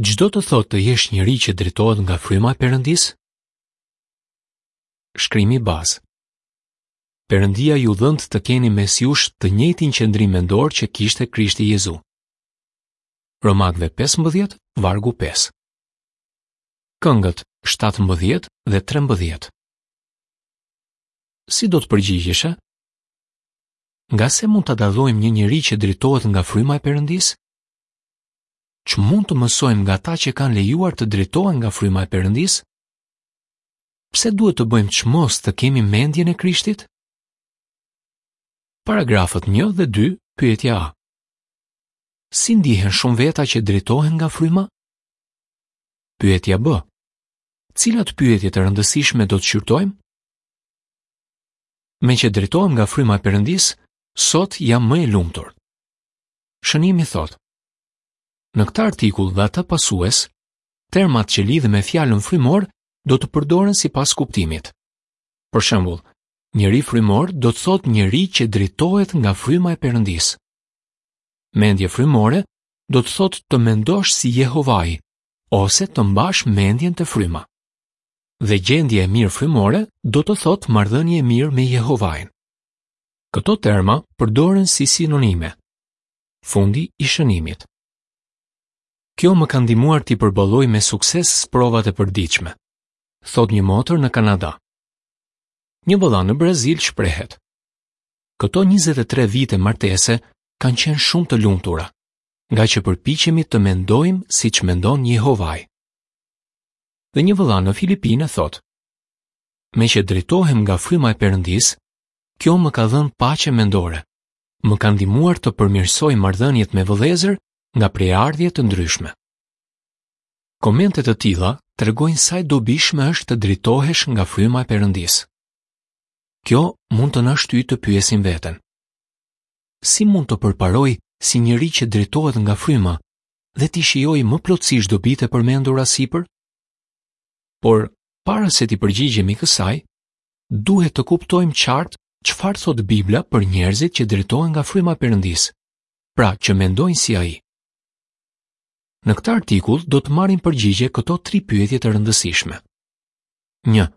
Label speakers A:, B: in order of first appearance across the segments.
A: Ç'do të thotë të jesh njeri që drejtohet nga fryma e Perëndisë? Shkrimi bazë. Perëndia ju dhëntë të keni mes jush të njëjtin qëndrim mendor që kishte Krishti Jezu. Romakëve 15, vargu 5. Këngët 17 dhe 13. Si do të përgjigjeshe? Nga se mund ta dallojmë një njeri që drejtohet nga fryma e Perëndisë? Ç'mund të mësojmë nga ata që kanë lejuar të drejtohen nga fryma e Perëndisë? Pse duhet të bëjmë çmos të kemi mendjen e Krishtit? Paragrafët 1 dhe 2, pyetja A. Si ndihen shumë veta që drejtohen nga fryma? Pyetja B. Cilat pyetje të rëndësishme do të shqyrtojmë? Meqë drejtohem nga fryma e Perëndisë, sot jam më e lumtur. Shënimi thotë: Në këtë artikull dhe atë pasues, termat që lidhen me fjalën frymor do të përdoren sipas kuptimit. Për shembull, njeri frymor do të thotë njeri që drejtohet nga fryma e Perëndisë. Mendje frymore do të thotë të mendosh si Jehovai ose të mbash mendjen te fryma. Dhe gjendje e mirë frymore do të thotë marrëdhënie e mirë me Jehovain. Këto terma përdoren si sinonime. Fundi i shënimit. Kjo më ka ndihmuar t'i përballoj me sukses sprovat e përditshme, thotë një motër në Kanada. Një vëlla në Brazil shprehet. Këto 23 vite martese kanë qenë shumë të lumtura, ngaqë përpiqemi të mendojmë siç mendon Jehovai. Dhe një vëlla në Filipine thotë: Meqë drejtohem nga fryma e Perëndisë, kjo më ka dhënë paqe mendore. Më ka ndihmuar të përmirësoj marrëdhëniet me vëllezër nga prejardhje të ndryshme. Komente të tilla tregojnë sa e dobishme është të drejtohesh nga fryma e Perëndisë. Kjo mund të na shtyjë të pyesim veten. Si mund të përparoj si njeri që drejtohet nga fryma dhe t'i shijoj më plotësisht dobitë e përmendura sipër? Por, para se t'i përgjigjemi kësaj, duhet të kuptojmë qartë çfarë thotë Bibla për njerëzit që drejtohen nga fryma e Perëndisë, pra që mendojnë si ai. Në këtë artikull do të marrim përgjigje këto tri pyetje të rëndësishme. 1.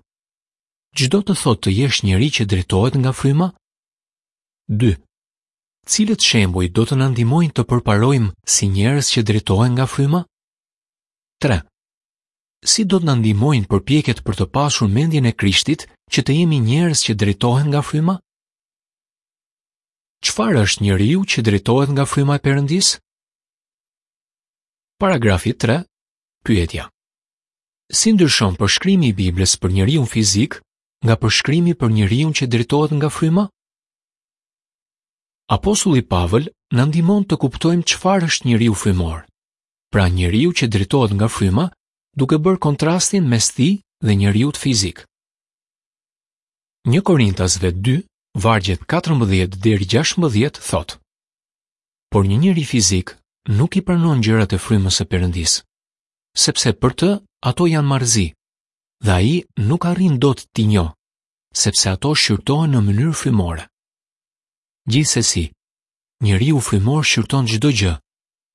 A: Ç'do të thotë të jesh njeri që drejtohet nga fryma? 2. Cilët shembuj do të na ndihmojnë të përparojmë si njerëz që drejtohen nga fryma? 3. Si do të na ndihmojnë përpjekjet për të pasur mendjen e Krishtit që të jemi njerëz që drejtohen nga fryma? Çfarë është njeriu që drejtohet nga fryma e Perëndisë? Paragrafi 3, pyetja. Si ndryshon përshkrimi i Biblës për njeriun fizik nga përshkrimi për njeriun që drejtohet nga fryma? Apostulli Pavël na ndihmon të kuptojmë çfarë është njeriu frymor. Pra njeriu që drejtohet nga fryma, duke bërë kontrastin mes tij dhe njeriut fizik. 1 Korintasve 2, vargjet 14 deri 16 thotë: Por një njeri fizik nuk i pranon gjërat e frymës së Perëndisë, sepse për të ato janë marrëzi, dhe ai nuk arrin dot t'i njohë, sepse ato shqyrtohen në mënyrë frymore. Gjithsesi, njeriu frymor shqyrton çdo gjë,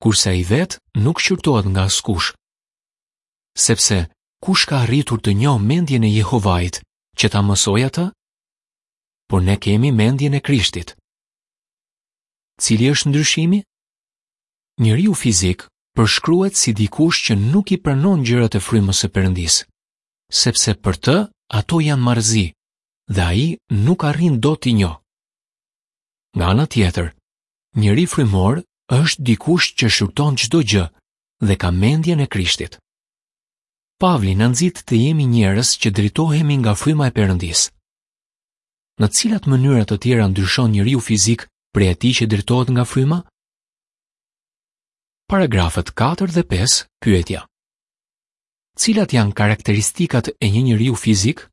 A: kurse ai vetë nuk shqyrtohet nga askush. Sepse kush ka arritur të njohë mendjen e Jehovait që ta mësojë atë? Por ne kemi mendjen e Krishtit. Cili është ndryshimi? Njeriu fizik përshkruhet si dikush që nuk i pranon gjërat e frymës së Perëndisë, sepse për të ato janë marrëzi dhe ai nuk arrin dot t'i njohë. Nga ana tjetër, njeri frymor është dikush që shqyrton çdo gjë dhe ka mendjen e Krishtit. Pavli na nxit të jemi njerëz që drejtohemi nga fryma e Perëndisë. Në cilat mënyra të tjera ndryshon njeriu fizik prej atij që drejtohet nga fryma? Paragrafët 4 dhe 5, pyetja. Cilat janë karakteristikat e një njeriu fizik?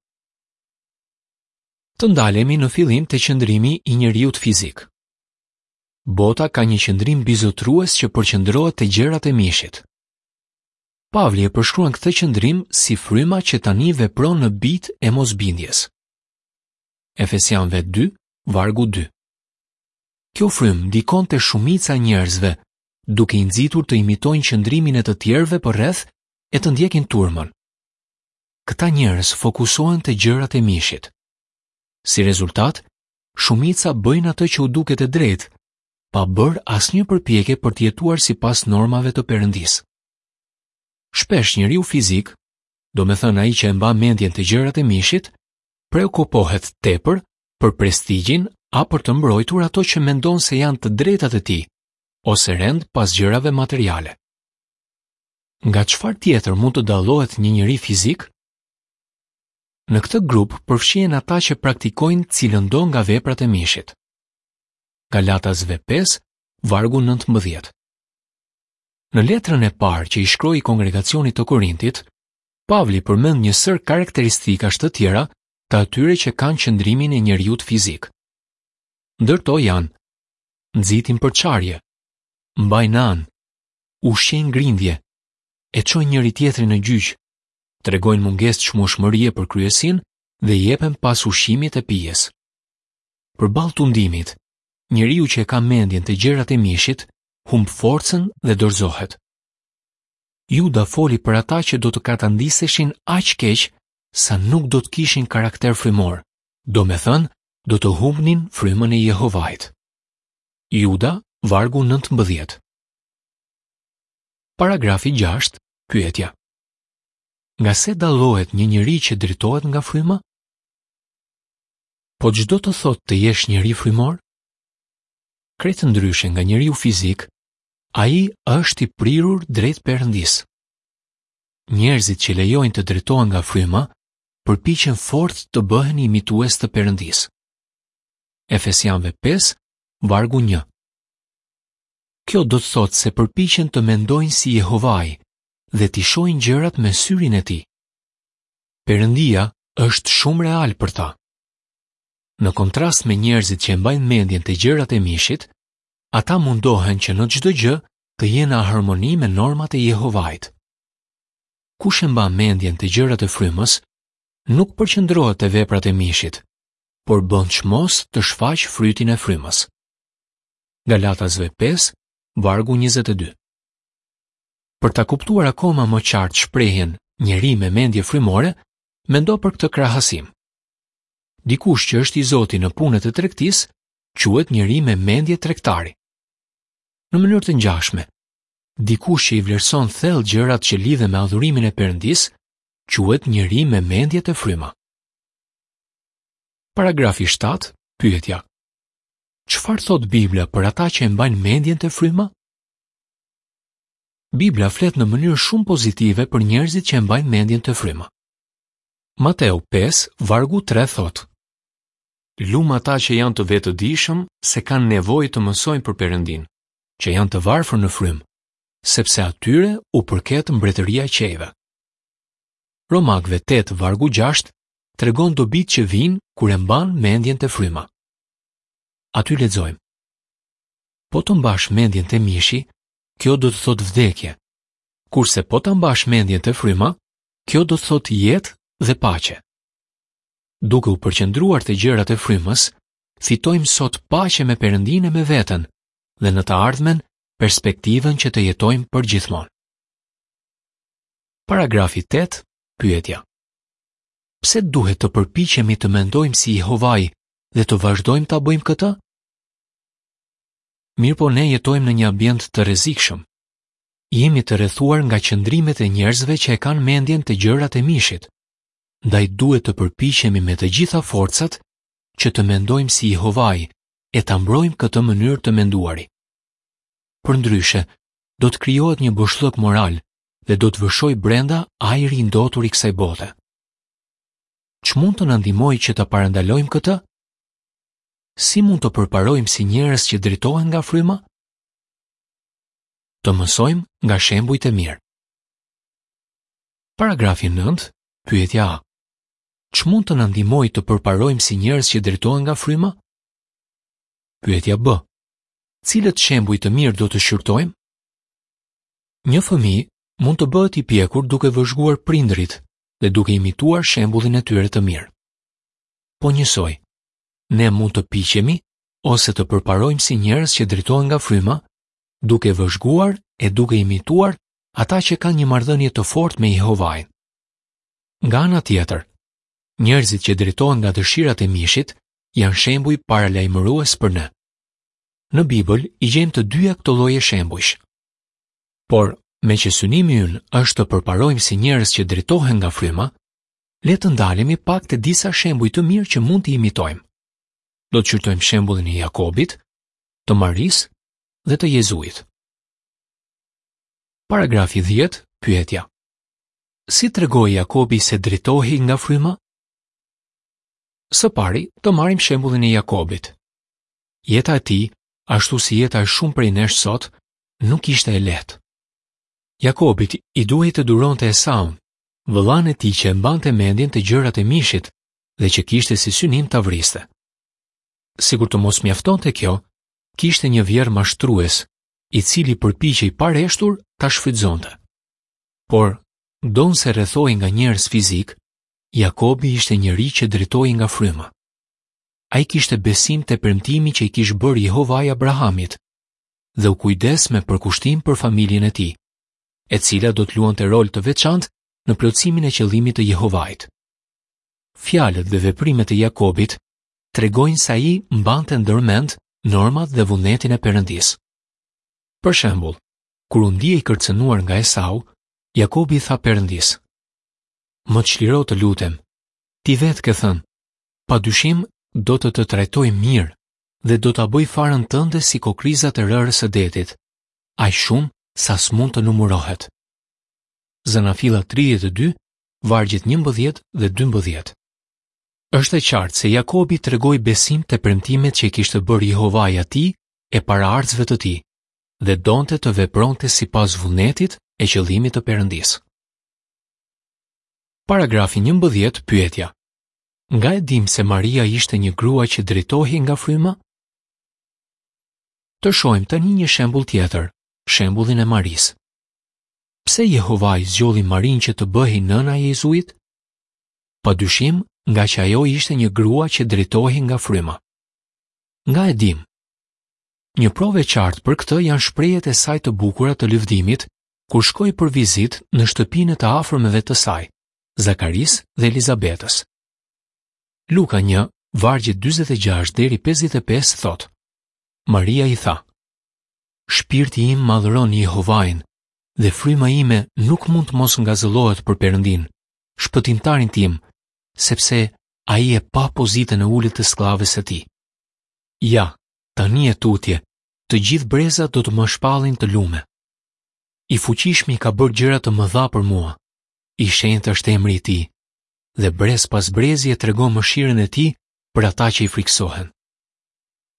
A: Të ndalemi në fillim te qëndrimi i njeriut fizik. Bota ka një qëndrim mbizotërues që përqendrohet te gjërat e mishit. Pavli e përshkruan këtë qëndrim si fryma që tani vepron në bijtë e mosbindjes. Efesianëve 2, vargu 2. Kjo frymë ndikon te shumica e njerëzve, duke i nxitur të imitojnë qëndrimin e të tjerëve përreth e të ndjekin turmën. Këta njerëz fokusohen te gjërat e mishit. Si rezultat, shumica bëjnë atë që u duket e drejtë, pa bërë asnjë përpjekje për të jetuar sipas normave të Perëndisë. Shpesh njeriu fizik, domethënë ai që e mban mendjen te gjërat e mishit, preokupohet tepër për prestigjin a për të mbrojtur ato që mendon se janë të drejtat e tij, ose rend pas gjërave materiale. Nga çfarë tjetër mund të dallohet një njeri fizik? Në këtë grup përfshihen ata që praktikojnë cilëndo nga veprat e mishit. Galatasve 5, vargu 19. Në letrën e parë që i shkroi kongregacionit të Korintit, Pavli përmend një sërë karakteristikash të tjera të atyre që kanë qëndrimin e njeriut fizik. Ndër to janë nxitin përçarje, mbajnë anë, ushqejnë grindje, e çojnë njëri-tjetrin në gjyq, tregojnë mungesë çmueshmërie për kryesinë dhe jepen pas ushqimit e pijes. Përballë tundimit, njeriu që e ka mendjen te gjërat e mishit, humb forcën dhe dorëzohet. Juda foli për ata që do të katandiseshin aq keq sa nuk do të kishin karakter frymor, domethënë do të humbnin frymën e Jehovait. Juda, vargu 19. Paragrafi 6, pyetja. Nga se dallohet një njeri që drejtohet nga fryma? Po ç'do të thotë të jesh njeri frymor? Krejt ndryshe nga njeriu fizik, ai është i prirur drejt Perëndisë. Njerëzit që lejojnë të drejtohen nga fryma, përpiqen fort të bëhen imitues të Perëndisë. Efesianëve 5, vargu 1. Kjo do të thotë se përpiqen të mendojnë si Jehovai dhe t'i shohin gjërat me syrin e tij. Perëndia është shumë real për ta. Në kontrast me njerëzit që e mbajnë mendjen te gjërat e mishit, ata mundohen që në çdo gjë të jenë në harmoni me normat e Jehovait. Kush e mban mendjen te gjërat e frymës, nuk përqendrohet te veprat e mishit, por bën çmos të shfaqë frytin e frymës. Galatasve 5, vargu 22. Për ta kuptuar akoma më qartë shprehjen njeri me mendje frymore, mendo për këtë krahasim. Dikush që është i zoti në punët e tregtisë, quhet njeri me mendje tregtari. Në mënyrë të ngjashme, dikush që i vlerëson thellë gjërat që lidhen me adhurimin e Perëndisë, quhet njeri me mendje te fryma. Paragrafi 7, pyetja. Çfarë thotë Bibla për ata që e mbajnë mendjen te fryma? Bibla flet në mënyrë shumë pozitive për njerëzit që e mbajnë mendjen te fryma. Mateu 5, vargu 3 thotë: Lum ata që janë të vetëdijshëm se kanë nevojë të mësojnë për Perëndinë, që janë të varfër në frymë, sepse atyre u përket mbretëria e qiejve. Romakëve 8 vargu 6 tregon dobitë që vijnë kur e mban mendjen te fryma. Aty lexojmë. Po të mbash mendjen te mishi, kjo do të thotë vdekje. Kurse po ta mbash mendjen te fryma, kjo do të thotë jetë dhe paqe. Duke u përqendruar te gjërat e frymës, fitojmë sot paqe me Perëndinë e me veten dhe në të ardhmen perspektivën që të jetojmë përgjithmonë. Paragrafi 8, pyetja. Pse duhet të përpiqemi të mendojmë si Jehovai dhe të vazhdojmë ta bëjmë këtë? Mirëpo ne jetojmë në një ambient të rrezikshëm. Jemi të rrethuar nga qëndrimet e njerëzve që e kanë mendjen te gjërat e mishit. Ndaj duhet të përpiqemi me të gjitha forcat që të mendojmë si Jehovai e ta mbrojmë këtë mënyrë të menduari. Përndryshe, do të krijohet një boshllëk moral dhe do të vërshojë brenda ajri i ndotur i kësaj bote. Ç'mund të na ndihmojë që ta parandalojmë këtë? Si mund të përparojmë si njerëz që drejtohen nga fryma? Të mësojmë nga shembujt e mirë. Paragrafi 9, pyetja A. Ç'mund të na ndihmojë të përparojmë si njerëz që drejtohen nga fryma? Pyetja B. Cilët shembuj të mirë do të shqyrtojmë? Një fëmijë mund të bëhet i pjekur duke vëzhguar prindërit dhe duke imituar shembullin e tyre të mirë. Po njësoj, ne mund të piqemi ose të përparojmë si njerëz që drejtohen nga fryma. duke vëzhguar e duke imituar ata që kanë një marrëdhënie të fortë me Jehovain. Nga ana tjetër, njerëzit që drejtohen nga dëshirat e mishit janë shembuj paralajmërues për ne. Në Bibël i gjejmë të dyja këto lloje shembujsh. Por, meqë synimi ynë është të përparojmë si njerëz që drejtohen nga fryma, le të ndalemi pak te disa shembuj të mirë që mund t'i imitojmë. Do të shqyrtojmë shembullin e Jakobit, të Marisë dhe të Jezuit. Paragrafi 10, pyetja. Si tregoi Jakobi se drejtohej nga fryma? Së pari, të marrim shembullin e Jakobit. Jeta e tij, ashtu si jeta e shumë prej nesh sot, nuk ishte e lehtë. Jakobit i duhej të duronte Esaun, vëllanë e tij që e mbante mendjen te gjërat e mishit dhe që kishte si synim ta vriste. Sikur të mos mjaftonte kjo, kishte një vjerrë mashtrues, i cili përpiqej pareshtur ta shfrytëzonte. Por, ndonëse rrethohej nga njerëz fizikë, Jakobi ishte njeri që drejtohej nga fryma. Ai kishte besim te premtimi që i kish bërë Jehovai Abrahamit dhe u kujdes me përkushtim për familjen e tij, e cila do të luante rol të veçantë në plotësimin e qëllimit të Jehovait. Fjalët dhe veprimet e Jakobit tregojnë se ai mbante ndërmend normat dhe vullnetin e Perëndisë. Për shembull, kur u ndie i kërcënuar nga Esau, Jakobi i tha Perëndisë: Më çliro të lutem. Ti vetë ke thënë, pa dyshim do të të trajtoj mirë dhe do ta bëj farën tënde si kokrrizat e rërës së detit, aq shumë sa s'mund të numërohet. Zanafilla 32, vargjet 11 dhe 12. Është e qartë se Jakobi tregoi besim te premtimet që i kishte bërë Jehovai atij e paraardhësve të tij dhe donte të vepronte sipas vullnetit e qëllimit të Perëndisë. Paragrafi 11, pyetja. Nga e dimë se Maria ishte një grua që drejtohej nga fryma? Të shohim tani një shembull tjetër, shembullin e Marisë. Pse Jehovai zgjodhi Marinë që të bëhej nëna e Jezuit? Pa dyshim, ngaqë ajo ishte një grua që drejtohej nga fryma. Nga e dimë? Një provë e qartë për këtë janë shprehjet e saj të bukura të lëvdimit kur shkoi për vizitë në shtëpinë e të afërmeve të saj, Zakarisë dhe Elizabetës. Luka 1, vargjet 46 deri 55 thotë: Maria i tha: Shpirti im madhëron Jehovain dhe fryma ime nuk mund të mos ngazëllohet për Perëndinë, shpëtimtarin tim, sepse ai e pa pozitën e ulët të skllaves së tij. Ja, tani e tutje, të gjithë brezat do të më shpallin të lume. I fuqishmi ka bërë gjëra të mëdha për mua. I shenjtë është emri i tij dhe brez pas brezi e tregon mëshirën e tij për ata që i frikësohen.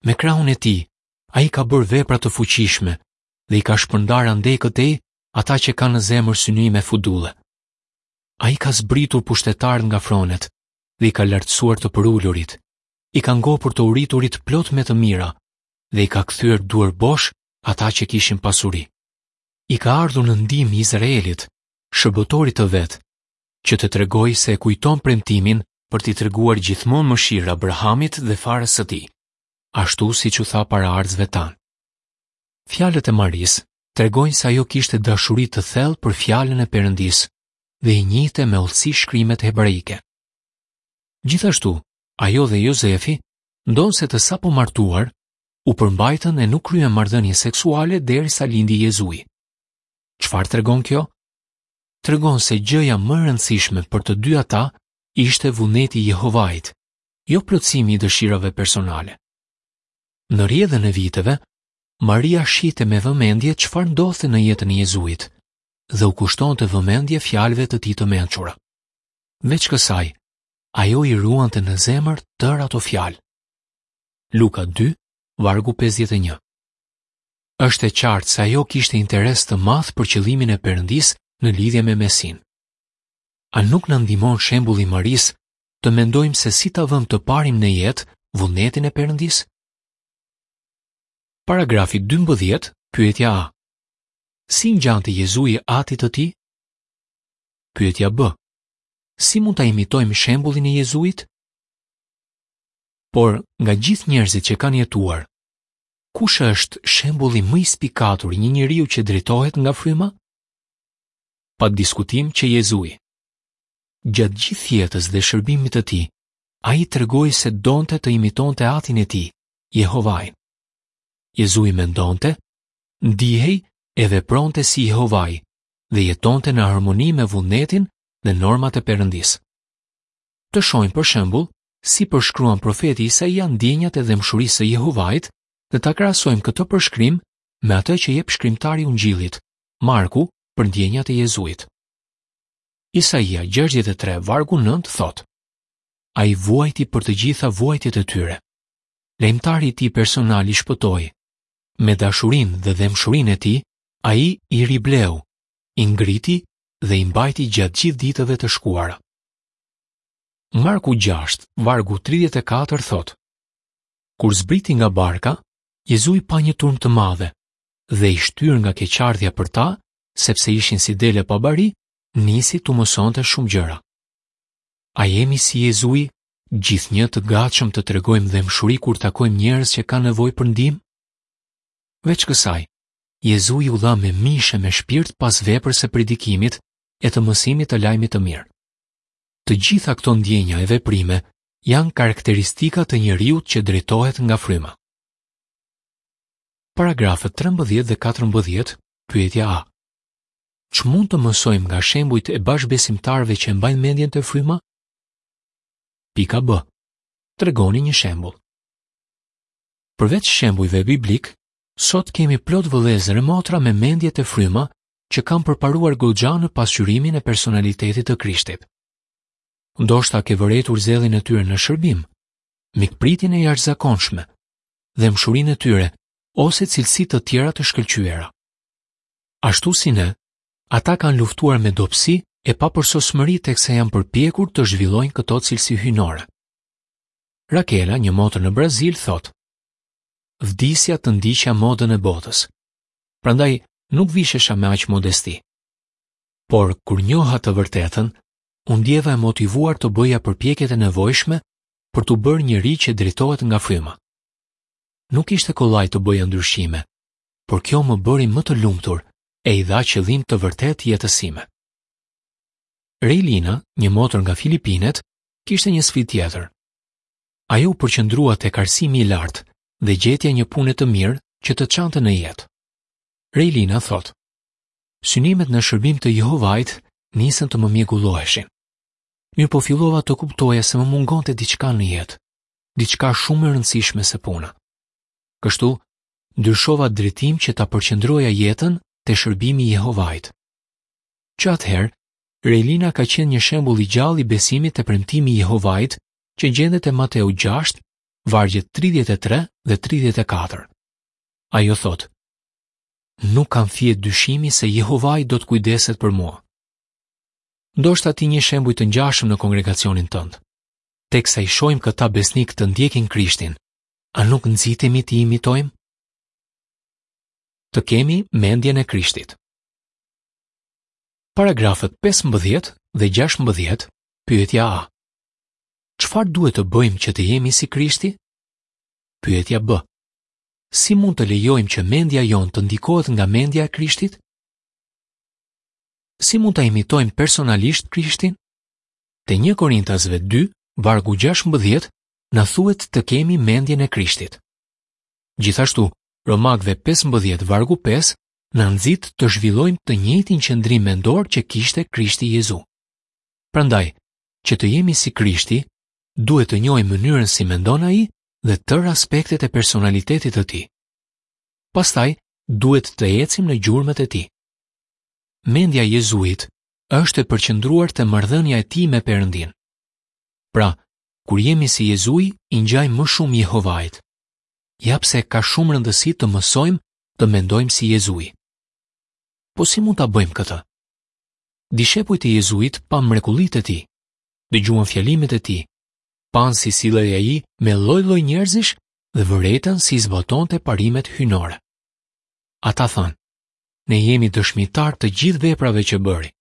A: Me krahun e tij, ai ka bërë vepra të fuqishme dhe i ka shpërndarë andej këtej ata që kanë në zemër synime fudulle. Ai ka zbritur pushtetarët nga fronet dhe i ka lartësuar të përulurit, i ka ngopur të uriturit plot me të mira dhe i ka kthyer duarbosh ata që kishin pasuri. I ka ardhur në ndihmë Izraelit, shërbëtorit të vet, që të tregojë se e kujton premtimin për t'i treguar gjithmonë mëshirë Abrahamit dhe farës së tij, ashtu siç u tha paraardhësve tanë. Fjalët e Marisë tregojnë se ajo kishte dashuri të thellë për fjalën e Perëndisë dhe i njihte me hollësi shkrimet hebraike. Gjithashtu, ajo dhe Jozefi, ndonëse të sapomartuar, u përmbajtën e nuk kryen marrëdhënie seksuale derisa lindi Jezui. Çfarë tregon kjo? Tregon se gjëja më e rëndësishme për të dy ata ishte vullneti i Jehovait, jo plotësimi i dëshirave personale. Në rrjedhën e viteve, Maria shihte me vëmendje çfarë ndodhte në jetën e Jezuit dhe u kushtonte vëmendje fjalëve të tij të mençura. Veç kësaj, ajo i ruante në zemër tërë ato fjalë. Luka 2, vargu 51. Është e qartë se ajo kishte interes të madh për qëllimin e Perëndisë në lidhje me Mesinë. A nuk na ndihmon shembulli i Marisë të mendojmë se si ta vëmë të parin në jetë vullnetin e Perëndisë? Paragrafi 12, pyetja A. Si i ngjante Jezui atit të tij? Pyetja B. Si mund ta imitojmë shembullin e Jezuit? Por, nga gjithë njerëzit që kanë jetuar, Kush është shembulli më i spikatur i një njeriu që drejtohet nga fryma? Pa diskutim që Jezui. Gjatë gjithë jetës dhe shërbimit të tij, ai tregoi se donte të imitonte Atin e tij, Jehovain. Jezui mendonte, ndihej e vepronte si Jehovai dhe jetonte në harmoni me vullnetin dhe normat e Perëndisë. Të shohim për shembull si përshkruan profeti Isaia ndjenjat e dhembshurisë së Jehovait dhe ta krahasojmë këtë përshkrim me atë që jep shkrimtari i Ungjillit, Marku, për ndjenjat e Jezuit. Isaia 63 vargu 9 thotë: Ai vuajti për të gjitha vuajtjet e tyre. Lajmëtari i tij personal i shpëtoi. Me dashurinë dhe dhembshurinë e tij, ai i ribleu, i ngriti dhe i mbajti gjatë gjithë ditëve të shkuara. Marku 6, vargu 34 thotë: Kur zbriti nga barka, Jezui pa një turmë të madhe dhe i shtyrë nga keqardhja për ta, sepse ishin si dele pa bari, nisi t'u mësonte shumë gjëra. A jemi si Jezui, gjithnjë të gatshëm të tregojmë dhembshuri kur takojmë njerëz që kanë nevojë për ndihmë? Veç kësaj, Jezui u dha me mish e me shpirt pas veprës së predikimit e të mësimit të lajmit të mirë. Të gjitha këto ndjenja e veprime janë karakteristika të njeriut që drejtohet nga fryma. Paragrafët 13 dhe 14, pyetja A. Ç'mund të mësojmë nga shembujt e bashkëbesimtarëve që e mbajnë mendjen te fryma? Pika B. Tregoni një shembull. Përveç shembujve biblikë, sot kemi plot vëllezër e motra me mendje te fryma që kanë përparuar goxha në pasqyrimin e personalitetit të Krishtit. Ndoshta ke vërejtur zellin e tyre në shërbim, mikpritjen e jashtëzakonshme, dhembshurinë e tyre ose cilësi të tjera të shkëlqyera. Ashtu si ne, ata kanë luftuar me dobësi e papërsosmëri teksa janë përpjekur të zhvillojnë këto cilësi hyjnore. Rakela, një motër në Brazil, thotë: Vdisja të ndiqja modën e botës. Prandaj nuk vishesha me aq modesti. Por kur njoha të vërtetën, u ndjeva e motivuar të bëja përpjekjet e nevojshme për t'u bërë njeri që drejtohet nga fryma. Nuk ishte kollaj të bëja ndryshime, por kjo më bëri më të lumtur e i dha qëllim të vërtetë jetës sime. Rejlina, një motër nga Filipinet, kishte një sfidë tjetër. Ajo u përqendrua tek arsimi i lartë dhe gjetja e një pune të mirë që të çante në jetë. Rejlina thotë: Synimet në shërbim të Jehovait nisën të më mjegulloheshin. Mirëpo fillova të kuptoja se më mungonte diçka në jetë, diçka shumë më e rëndësishme se puna. Kështu, ndryshova drejtim që ta përqendroja jetën te shërbimi i Jehovait. Që atëherë, Rejlina ka qenë një shembull i gjallë i besimit te premtimi i Jehovait që gjendet te Mateu 6, vargjet 33 dhe 34. Ajo thotë: Nuk kam fije dyshimi se Jehovai do të kujdeset për mua. Ndoshta ti njeh shembuj të ngjashëm në kongregacionin tënd. Teksa i shohim këta besnikë të ndjekin Krishtin, a nuk nxitemi t'i imitojmë? Të kemi mendjen e Krishtit. Paragrafët 15 dhe 16, pyetja A. Çfarë duhet të bëjmë që të jemi si Krishti? Pyetja B. Si mund të lejojmë që mendja jonë të ndikohet nga mendja e Krishtit? Si mund ta imitojmë personalisht Krishtin? Te 1 Korintasve 2, vargu 16, na thuhet të kemi mendjen e Krishtit. Gjithashtu, Romakëve 15 vargu 5 na nxit të zhvillojmë të njëjtin qëndrim mendor që kishte Krishti Jezu. Prandaj, që të jemi si Krishti, duhet të njohim mënyrën si mendon ai dhe tërë aspektet e personalitetit të tij. Pastaj, duhet të ecim në gjurmët e tij. Mendja e Jezuit është e përqendruar te marrëdhënia e tij me Perëndinë. Pra, Kur jemi si Jezui, i ngjajmë më shumë Jehovait. Ja pse ka shumë rëndësi të mësojmë të mendojmë si Jezui. Po si mund ta bëjmë këtë? Dishepujt e Jezuit panë mrekullitë e tij, dëgjuan fjalimet e tij, panë si sillej ai me lloj-lloj njerëzish dhe vërejtën si i zbatonte parimet hyjnore. Ata thanë, ne jemi dëshmitarë të gjithë veprave që bëri.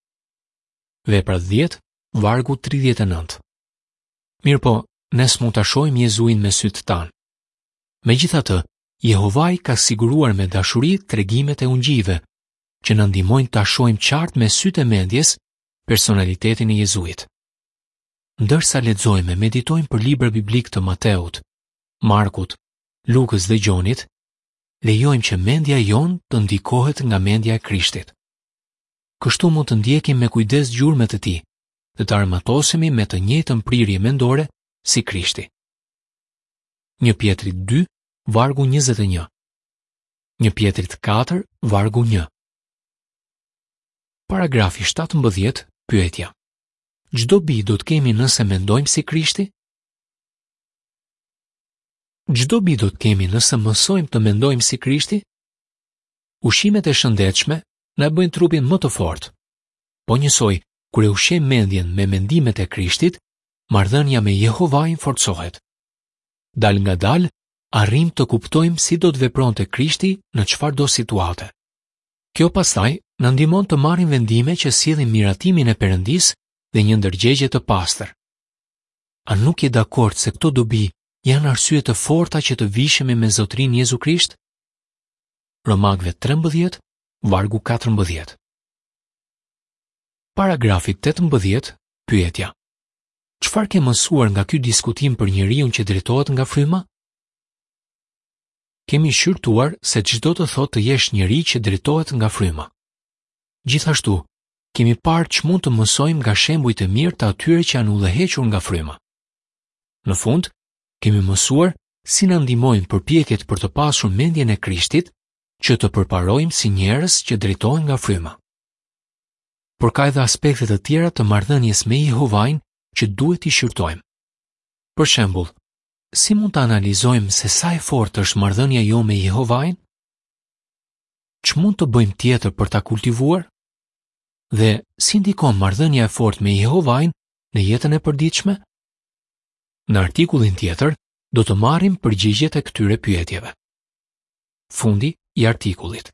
A: Veprat 10, vargu 39. Mirëpo, ne s'mund ta shohim Jezuin me sytë tanë. Megjithatë, Jehovai ka siguruar me dashuri tregimet e ungjijve, që na ndihmojnë ta shohim qartë me sytë e mendjes personalitetin e Jezuit. Ndërsa lexojmë e meditojmë për librat biblikë të Mateut, Markut, Lukës dhe Gjonit, lejojmë që mendja jonë të ndikohet nga mendja e Krishtit. Kështu mund të ndjekim me kujdes gjurmët e tij dhe të armatosemi me të njëjtën prirje mendore si Krishti. 1 Pjetrit 2, vargu 21. 1 Pjetrit 4, vargu 1. Paragrafi 17, pyetja. Ç'dobi do të kemi nëse mendojmë si Krishti? Ç'dobi do të kemi nëse mësojmë të mendojmë si Krishti? Ushqimet e shëndetshme na e bëjnë trupin më të fortë. Po njësoj, kur e ushqejmë mendjen me mendimet e Krishtit, marrëdhënia me Jehovain forcohet. Dalëngadalë, arrijmë të kuptojmë si do të vepronte Krishti në çfarëdo situate. Kjo pastaj na ndihmon të marrim vendime që sjellin miratimin e Perëndisë dhe një ndërgjegje të pastër. A nuk je dakord se këto dobi janë arsye të forta që të vishemi me Zotërinë Jezu Krisht? Romakëve 13, vargu 14. Paragrafi 18, pyetja. Çfarë ke mësuar nga ky diskutim për njeriun që drejtohet nga fryma? Kemi shqyrtuar se ç'do të thotë të jesh njeri që drejtohet nga fryma. Gjithashtu, kemi parë ç'mund të mësojmë nga shembujt e mirë të atyre që janë udhëhequr nga fryma. Në fund, kemi mësuar si na ndihmojnë përpjekjet për të pasur mendjen e Krishtit që të përparojmë si njerëz që drejtohen nga fryma. Por ka edhe aspekte të tjera të marrëdhënies me Jehovain që duhet t'i shqyrtojmë. Për shembull, si mund të analizojmë se sa e fortë është marrëdhënia jonë me Jehovain? Ç'mund të bëjmë tjetër për ta kultivuar? Dhe si ndikon marrëdhënia e fortë me Jehovain në jetën e përditshme? Në artikullin tjetër do të marrim përgjigjet e këtyre pyetjeve. Fundi i artikullit.